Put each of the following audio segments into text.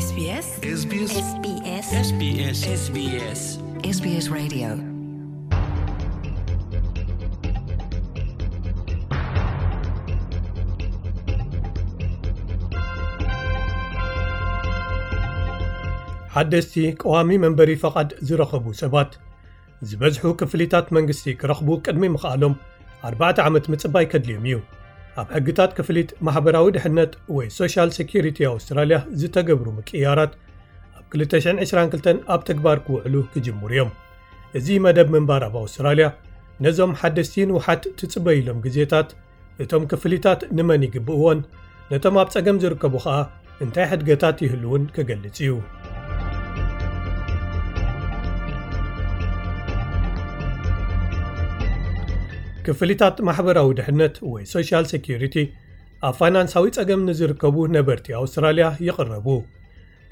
SBS SBS SBS SBS SBS SBS Radio. ሓደስቲ ቀዋሚ መንበሪ ፈቓድ ዝረኸቡ ሰባት ዝበዝሑ ክፍሊታት መንግስቲ ክረኽቡ ቅድሚ ምኽኣሎም ኣርባዕተ ዓመት ምጽባይ ከድልዮም እዩ። ኣብ ሕግታት ክፍሊት ማሕበራዊ ድሕነት ወይ ሶሻል ሴኪሪቲ ኣውስትራልያ ዝተገብሩ ምቅያራት ኣብ ክልተ ሽሕን ዕስራን ክልተን ኣብ ተግባር ክውዕሉ ክጅምሩ እዮም። እዚ መደብ ምንባር ኣብ ኣውስትራልያ ነዞም ሓደስቲ ንውሓት ትጽበይሎም ግዜታት፣ እቶም ክፍሊታት ንመን ይግብእዎን ነቶም ኣብ ጸገም ዝርከቡ ኸኣ እንታይ ሕድገታት ይህልውን ክገልጽ እዩ። ክፍሊታት ማሕበራዊ ድሕነት ወይ ሶሻል ሴኪሪቲ ኣብ ፋይናንሳዊ ጸገም ንዝርከቡ ነበርቲ ኣውስትራልያ ይቕረቡ።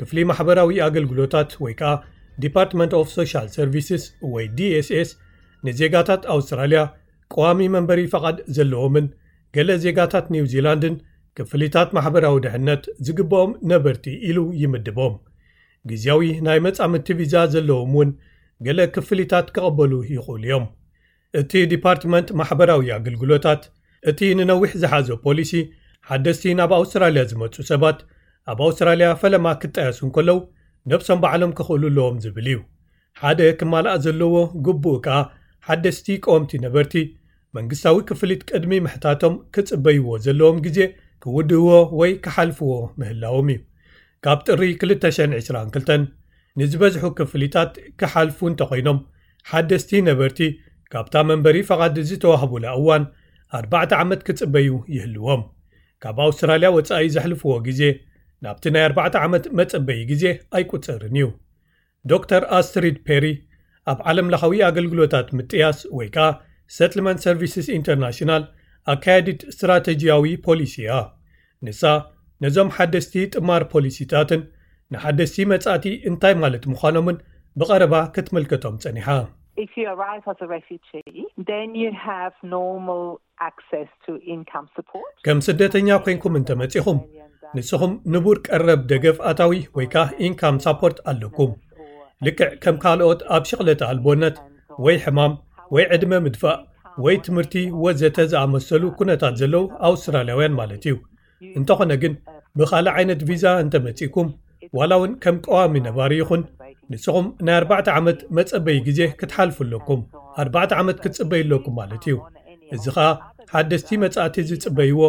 ክፍሊ ማሕበራዊ ኣገልግሎታት ወይ ከኣ ዲፓርትመንት ኦፍ ሶሻል ሰርቪስስ ወይ ዲ ኤስ ኤስ ንዜጋታት ኣውስትራልያ ቀዋሚ መንበሪ ፈቓድ ዘለዎምን ገለ ዜጋታት ኒውዚላንድን ክፍሊታት ማሕበራዊ ድሕነት ዝግብኦም ነበርቲ ኢሉ ይምድቦም። ግዝያዊ ናይ መጻምድቲ ቪዛ ዘለዎም እውን ገለ ክፍሊታት ክቐበሉ ይኽእሉ እዮም። እቲ ዲፓርትመንት ማሕበራዊ ኣገልግሎታት እቲ ንነዊሕ ዝሓዞ ፖሊሲ ሓደስቲ ናብ ኣውስትራልያ ዝመጹ ሰባት ኣብ ኣውስትራልያ ፈለማ ክጣየሱ እንከለዉ ነብሶም ባዕሎም ክኽእሉ ኣለዎም ዝብል እዩ። ሓደ ክማልኣ ዘለዎ ግቡእ ከኣ ሓደስቲ ቀወምቲ ነበርቲ መንግስታዊ ክፍሊት ቅድሚ ምሕታቶም ክጽበይዎ ዘለዎም ግዜ ክውድእዎ ወይ ክሓልፍዎ ምህላዎም እዩ። ካብ ጥሪ ክልተ ሽሕን ዕስራን ክልተን ንዝበዝሑ ክፍሊታት ክሓልፉ እንተኾይኖም ሓደስቲ ነበርቲ ካብታ መንበሪ ፈቓድ ዝተዋህቡላ እዋን ኣርባዕተ ዓመት ክጽበዩ ይህልዎም። ካብ ኣውስትራልያ ወጻኢ ዘሕልፍዎ ግዜ ናብቲ ናይ ኣርባዕተ ዓመት መጸበዪ ግዜ ኣይቁጸርን እዩ። ዶክተር ኣስትሪድ ፔሪ ኣብ ዓለም ለኻዊ ኣገልግሎታት ምጥያስ ወይ ከኣ ሰትልመንት ሰርቪስስ ኢንተርናሽናል ኣካያዲት ስትራተጂያዊ ፖሊሲ እያ። ንሳ ነዞም ሓደስቲ ጥማር ፖሊሲታትን ንሓደስቲ መጻእቲ እንታይ ማለት ምዃኖምን ብቐረባ ክትምልከቶም ጸኒሓ። If you arrive as a refugee, then you have normal access to income support. ከም ስደተኛ ኮይንኩም እንተመጺኹም ንስኹም ንቡር ቀረብ ደገፍ ኣታዊ ወይ ከኣ ኢንካም ሳፖርት ኣለኩም። ልክዕ ከም ካልኦት ኣብ ሽቕለተ ኣልቦነት ወይ ሕማም ወይ ዕድመ ምድፋእ ወይ ትምህርቲ ወዘተ ዝኣመሰሉ ኩነታት ዘለዉ ኣውስትራልያውያን ማለት እዩ። እንተኾነ ግን ብኻልእ ዓይነት ቪዛ እንተመጺእኩም ዋላ እውን ከም ቀዋሚ ነባሪ ይኹን ንስኹም ናይ ኣርባዕተ ዓመት መጸበዪ ግዜ ክትሓልፉ ኣለኩም። ኣርባዕተ ዓመት ክትጽበዩ ኣለኩም ማለት እዩ። እዚ ኸኣ ሓደስቲ መጻእቲ ዝጽበይዎ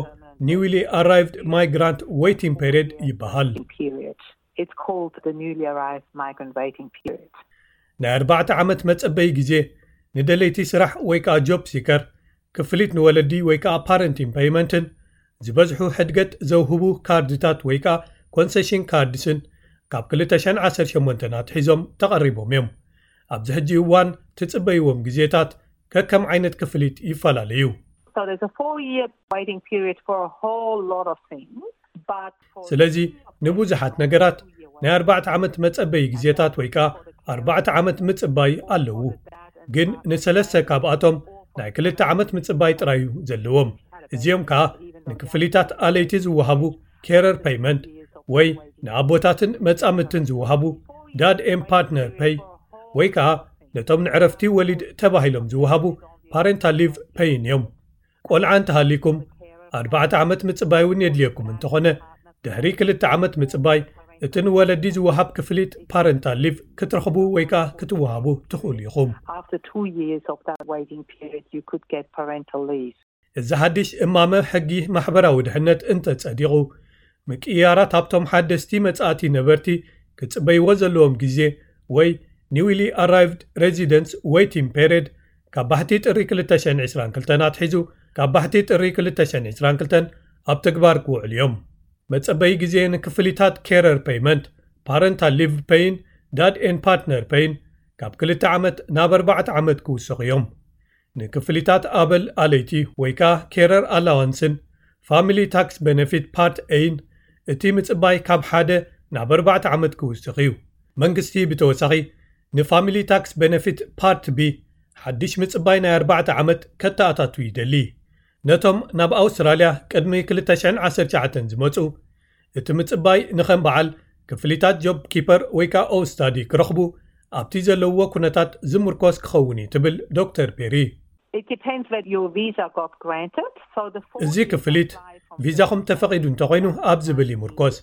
ኒውሊ ኣራይቭድ ማይግራንት ዌይቲንግ ፔሪድ ይበሃል። Period. It's called the newly arrived migrant waiting period. ናይ ኣርባዕተ ዓመት መጸበዪ ግዜ ንደለይቲ ስራሕ ወይ ከኣ ጆብ ሲከር ክፍሊት ንወለዲ ወይ ከኣ ፓረንቲን ፔይመንትን ዝበዝሑ ሕድገት ዘውህቡ ካርድታት ወይ ከኣ ኮንሰሽን ካርድስን ካብ ክልተ ሽሕን ዓሰርተ ሸሞንተን ኣትሒዞም ተቐሪቦም እዮም። ኣብዚ ሕጂ እዋን ትጽበይዎም ግዜታት ከከም ዓይነት ክፍሊት ይፈላለዩ። So there's a four year waiting period for a whole lot of things. But for ስለዚ ንብዙሓት ነገራት ናይ ኣርባዕተ ዓመት መጸበዪ ግዜታት ወይ ከኣ ኣርባዕተ ዓመት ምጽባይ ኣለዉ። ግን ንሰለስተ ካብኣቶም ናይ ክልተ ዓመት ምጽባይ ጥራይ እዩ ዘለዎም። እዚኦም ከኣ ንክፍሊታት ኣለይቲ ዝወሃቡ ኬረር ፔይመንት ወይ ንኣቦታትን መጻምድትን ዝወሃቡ ዳድ ኤም ፓርትነር ፔይ ወይ ከኣ ነቶም ንዕረፍቲ ወሊድ ተባሂሎም ዝወሃቡ ፓረንታል ሊቭ ፔይን እዮም። ቆልዓ እንተሃሊኩም ኣርባዕተ ዓመት ምጽባይ እውን የድልየኩም እንተኾነ ድሕሪ ክልተ ዓመት ምጽባይ እቲ ንወለዲ ዝወሃብ ክፍሊት ፓረንታል ሊቭ ክትረኽቡ ወይ ከኣ ክትወሃቡ ትኽእሉ ኢኹም። After two years of that waiting period, you could get parental leave. እዚ ሓድሽ እማመ ሕጊ ማሕበራዊ ድሕነት እንተጸዲቑ ምቅያራት ኣብቶም ሓደስቲ መጻእቲ ነበርቲ ክጽበይዎ ዘለዎም ግዜ ወይ ኒውሊ ኣራይቭድ ሬዚደንስ ዌይቲንግ ፔሪድ ካብ ባሕቲ ጥሪ ክልተ ሽሕን ዕስራን ክልተን ኣትሒዙ ካብ ባሕቲ ጥሪ ክልተ ሽሕን ዕስራን ክልተን ኣብ ተግባር ክውዕሉ እዮም። መጸበዪ ግዜ ንክፍሊታት ኬረር ፔይመንት፣ ፓረንታል ሊቭ ፔይን ዳድ ኤን ፓርትነር ፔይን ካብ ክልተ ዓመት ናብ ኣርባዕተ ዓመት ክውሰኹ እዮም። ንክፍሊታት ኣበል ኣለይቲ ወይ ከኣ ኬረር ኣላዋንስን ፋሚሊ ታክስ ቤነፊት ፓርት ኤይን እቲ ምጽባይ ካብ ሓደ ናብ ኣርባዕተ ዓመት ክውስኽ እዩ። መንግስቲ ብተወሳኺ ንፋሚሊ ታክስ ቤነፊት ፓርት ቢ ሓድሽ ምጽባይ ናይ ኣርባዕተ ዓመት ከተኣታቱ ይደሊ። ነቶም ናብ ኣውስትራልያ ቅድሚ ክልተ ሽሕን ዓሰርተ ትሽዓተን ዝመጹ እቲ ምጽባይ ንኸም በዓል ክፍሊታት ጆብ ኪፐር ወይ ከዓ ኦውስታዲ ክረኽቡ ኣብቲ ዘለውዎ ኩነታት ዝምርኮስ ክኸውን እዩ ትብል ዶክተር ፔሪ። It depends whether your visa got granted. So the እዚ ክፍሊት ቪዛኹም ተፈቒዱ እንተኾይኑ ኣብ ዝብል ይምርኮስ።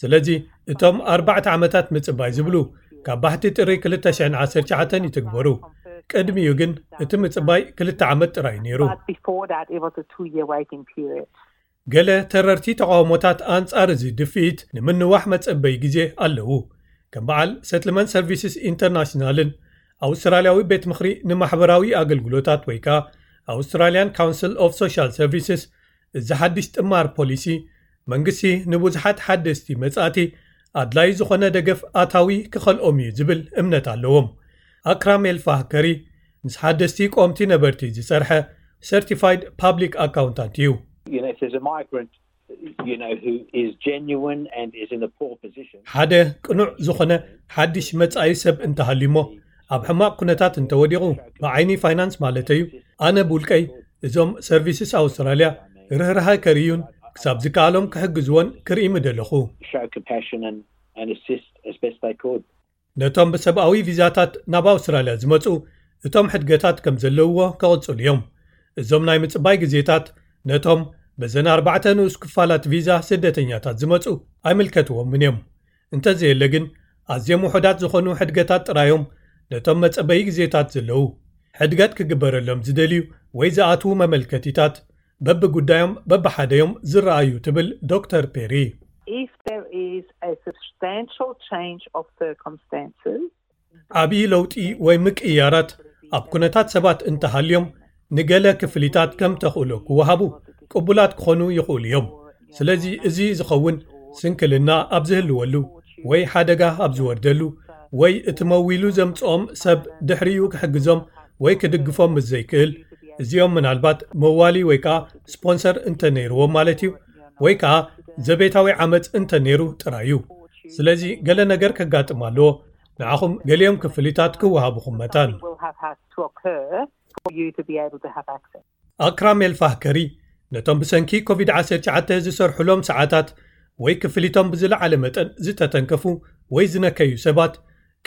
ስለዚ እቶም ኣርባዕተ ዓመታት ምጽባይ ዝብሉ ካብ ባሕቲ ጥሪ ክልተ ሽሕን ዓሰርተ ትሽዓተን ይትግበሩ። ቅድሚኡ ግን እቲ ምጽባይ ክልተ ዓመት ጥራይ ነይሩ። But before that, it was a two-year waiting period. ገለ ተረርቲ ተቃውሞታት ኣንጻር እዚ ድፍኢት ንምንዋሕ መጸበይ ግዜ ኣለዉ። ከም በዓል ሰትልመንት ሰርቪስስ ኢንተርናሽናልን ኣውስትራልያዊ ቤት ምኽሪ ንማሕበራዊ ኣገልግሎታት ወይ ከዓ ኣውስትራልያን ካውንስል ኦፍ ሶሻል ሰርቪስስ፣ እዚ ሓድሽ ጥማር ፖሊሲ መንግስቲ ንብዙሓት ሓደስቲ መጻእቲ ኣድላይ ዝኾነ ደገፍ ኣታዊ ክኸልኦም እዩ ዝብል እምነት ኣለዎም። ኣክራም ኤልፋህከሪ ምስ ሓደስቲ ቆምቲ ነበርቲ ዝሰርሐ ሰርቲፋይድ ፓብሊክ ኣካውንታንት እዩ። You know, if there's a migrant, you know, who is genuine and is in a poor position. ሓደ ቅኑዕ ዝኾነ ሓድሽ መጻኢ ሰብ እንተሃልዩሞ ኣብ ሕማቕ ኩነታት እንተወዲቑ፣ ብዓይኒ ፋይናንስ ማለተዩ፣ ኣነ ብውልቀይ እዞም ሰርቪስስ ኣውስትራልያ ርህራሃ ከርእዩን ክሳብ ዝከኣሎም ክሕግዝዎን ክርኢ ምደለኹ። Show compassion and, and assist as best they could. ነቶም ብሰብኣዊ ቪዛታት ናብ ኣውስትራልያ ዝመጹ እቶም ሕድገታት ከም ዘለውዎ ክቕጽሉ እዮም። እዞም ናይ ምጽባይ ግዜታት ነቶም በዘን ኣርባዕተ ንኡስ ክፋላት ቪዛ ስደተኛታት ዝመጹ ኣይምልከትዎምን እዮም። እንተዘየለ ግን ኣዝዮም ውሑዳት ዝኾኑ ሕድገታት ጥራዮም ነቶም መጸበዪ ግዜታት ዘለዉ ሕድገት ክግበረሎም ዝደልዩ ወይ ዝኣትዉ መመልከቲታት በብጉዳዮም በብሓደዮም ዝረኣዩ ትብል ዶክተር ፔሪ። If there is a substantial change of circumstances, ዓብዪ ለውጢ ወይ ምቅይያራት ኣብ ኩነታት ሰባት እንተሃልዮም ንገለ ክፍሊታት ከም ተኽእሎ ክወሃቡ ቅቡላት ክኾኑ ይኽእሉ እዮም። ስለዚ እዚ ዝኸውን ስንክልና ኣብ ዝህልወሉ ወይ ሓደጋ ኣብ ዝወርደሉ ወይ እቲ መዊሉ ዘምጽኦም ሰብ ድሕሪኡ ክሕግዞም ወይ ክድግፎም ምስ ዘይክእል፣ እዚኦም ምናልባት መዋሊ ወይ ከዓ ስፖንሰር እንተነይርዎም ማለት እዩ፣ ወይ ከዓ ዘቤታዊ ዓመፅ እንተነይሩ ጥራይ እዩ። ስለዚ ገለ ነገር ከጋጥም ኣለዎ። ንዓኹም ገሊኦም ክፍሊታት ክወሃቡኹም መታን። will have had to occur for you to be able to have access. ኣክራም ኤልፋህከሪ ነቶም ብሰንኪ ኮቪድ ዓሰርተ ትሽዓተ ዝሰርሑሎም ሰዓታት ወይ ክፍሊቶም ብዝለዓለ መጠን ዝተተንከፉ ወይ ዝነከዩ ሰባት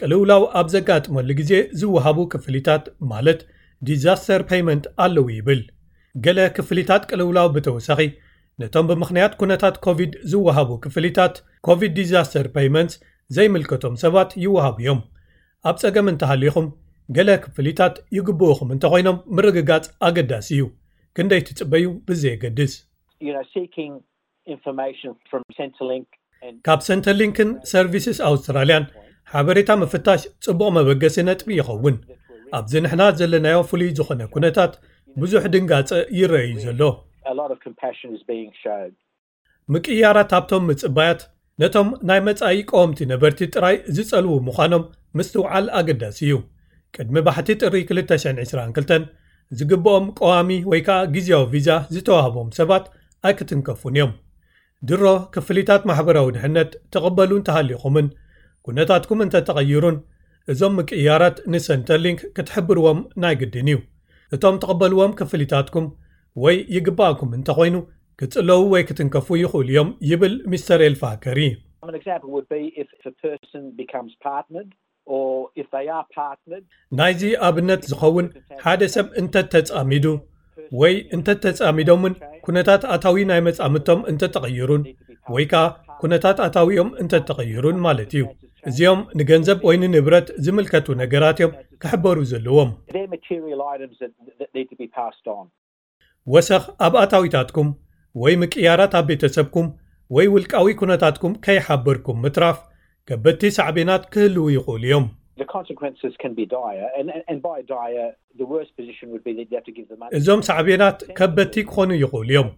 ቅልውላው ኣብ ዘጋጥመሉ ግዜ ዝወሃቡ ክፍሊታት ማለት ዲዛስተር ፔይመንት ኣለዉ ይብል። ገለ ክፍሊታት ቅልውላው ብተወሳኺ ነቶም ብምኽንያት ኩነታት ኮቪድ ዝወሃቡ ክፍሊታት ኮቪድ ዲዛስተር ፔይመንትስ ዘይምልከቶም ሰባት ይወሃቡ እዮም። ኣብ ጸገም እንተሃሊኹም ገለ ክፍሊታት ይግብኡኹም እንተኾይኖም ምርግጋጽ ኣገዳሲ እዩ። ክንደይ ትጽበዩ ብዘየገድስ። You know, seeking information from Centrelink and ካብ ሰንተርሊንክን ሰርቪስስ ኣውስትራልያን ሓበሬታ ምፍታሽ ጽቡቕ መበገሲ ነጥቢ ይኸውን። ኣብዚ ንሕና ዘለናዮ ፍሉይ ዝኾነ ኩነታት ብዙሕ ድንጋጸ ይረኣዩ ዘሎ። A lot of compassion is being shown. ምቅያራት ኣብቶም ምጽባያት ነቶም ናይ መጻኢ ቀወምቲ ነበርቲ ጥራይ ዝጸልዉ ምዃኖም ምስትውዓል ኣገዳሲ እዩ። ቅድሚ ባሕቲ ጥሪ ክልተ ሽሕን ዕስራን ክልተን ዝግብኦም ቀዋሚ ወይ ከዓ ግዝያዊ ቪዛ ዝተዋህቦም ሰባት ኣይክትንከፉን እዮም። ድሮ ክፍሊታት ማሕበራዊ ድሕነት ትቕበሉ እንተሃሊኹምን ኩነታትኩም እንተተቐይሩን እዞም ምቅያራት ንሰንተርሊንክ ክትሕብርዎም ናይ ግድን እዩ። እቶም ትቕበልዎም ክፍሊታትኩም ወይ ይግባእኩም እንተኾይኑ ክጽለዉ ወይ ክትንከፉ ይኽእሉ እዮም ይብል ሚስተር ኤልፋከሪ። An example would be if a person becomes partnered or if they are partnered. ናይዚ ኣብነት ዝኸውን ሓደ ሰብ እንተተጻሚዱ ወይ እንተተጻሚዶምን ኩነታት ኣታዊ ናይ መጻምቶም እንተተቐይሩን ወይ ከዓ ኩነታት ኣታዊኦም እንተተቐይሩን ማለት እዩ። እዚኦም ንገንዘብ ወይ ንንብረት ዝምልከቱ ነገራት እዮም ክሕበሩ ዘለዎም። They're material items that, that need to be passed on. ወሰኽ ኣብ ኣታዊታትኩም ወይ ምቅያራት ኣብ ቤተሰብኩም ወይ ውልቃዊ ኩነታትኩም ከይሓበርኩም ምትራፍ ከበድቲ ሳዕቤናት ክህልዉ ይኽእሉ እዮም። The consequences can be dire, and, and, and by dire, the worst position would be that you have to give the money. እዞም ሳዕቤናት ከበድቲ ክኾኑ ይኽእሉ እዮም።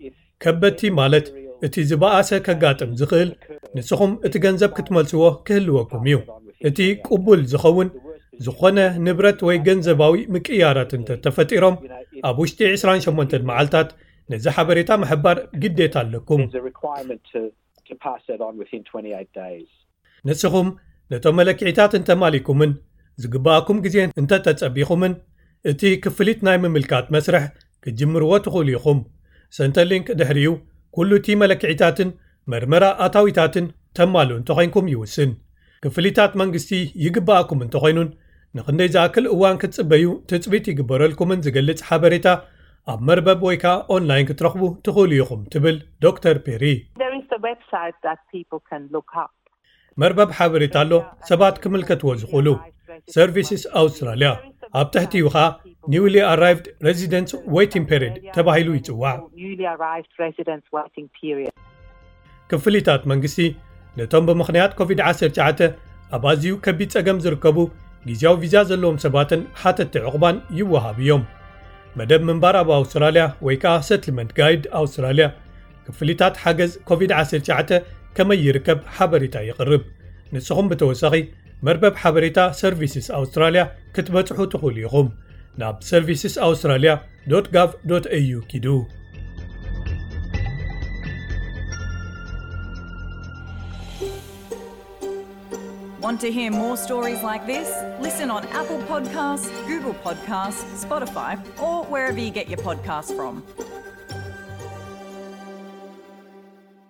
ከበድቲ ማለት እቲ ዝበኣሰ ከጋጥም ዝኽእል ንስኹም እቲ ገንዘብ ክትመልስዎ ክህልወኩም እዩ። እቲ ቅቡል ዝኸውን ዝኾነ ንብረት ወይ ገንዘባዊ ምቅያራት እንተተፈጢሮም ኣብ ውሽጢ ዕስራን ሸሞንተን መዓልታት ነዚ ሓበሬታ ምሕባር ግዴታ ኣለኩም። There's a requirement to, to pass that on within twenty-eight days. ንስኹም ነቶም መለክዒታት እንተማሊኩምን ዝግባኣኩም ግዜ እንተተጸቢኹምን እቲ ክፍሊት ናይ ምምልካት መስርሕ ክትጅምርዎ ትኽእሉ ኢኹም። ሰንተርሊንክ ድሕሪኡ ኩሉ እቲ መለክዒታትን መርመራ ኣታዊታትን ተማልኡ እንተኾይንኩም ይውስን። ክፍሊታት መንግስቲ ይግበኣኩም እንተኾይኑን ንኽንደይ ዝኣክል እዋን ክትጽበዩ ትጽቢት ይግበረልኩምን ዝገልጽ ሓበሬታ ኣብ መርበብ ወይ ከዓ ኦንላይን ክትረኽቡ ትኽእሉ ኢኹም ትብል ዶክተር ፔሪ። There is a website that people can look up. መርበብ ሓበሬታ ኣሎ፣ ሰባት ክምልከትዎ ዝኽእሉ። ሰርቪስስ ኣውስትራልያ፣ ኣብ ትሕቲኡ ኸኣ ኒውሊ ኣራይቭድ ሬዚደንትስ ዌይቲንግ ፔሪድ ተባሂሉ ይጽዋዕ። Newly arrived residents waiting period. ክፍሊታት መንግስቲ ነቶም ብምኽንያት ኮቪድ ዓሰርተ ትሽዓተ ኣብ ኣዝዩ ከቢድ ጸገም ዝርከቡ ግዜያዊ ቪዛ ዘለዎም ሰባትን ሓተቲ ዕቑባን ይወሃብ እዮም። መደብ ምንባር ኣብ ኣውስትራልያ ወይ ከዓ ሰትልመንት ጋይድ ኣውስትራልያ ክፍሊታት ሓገዝ ኮቪድ ዓሰርተ ትሽዓተ ከመይ ይርከብ ሓበሬታ ይቕርብ። ንስኹም ብተወሳኺ መርበብ ሓበሬታ ሰርቪስስ ኣውስትራልያ ክትበጽሑ ትኽእሉ ኢኹም። ናብ services australia dot gov dot au ኪዱ። Want to hear more stories like this? Listen on Apple Podcasts, Google Podcasts, Spotify, or wherever you get your podcasts from.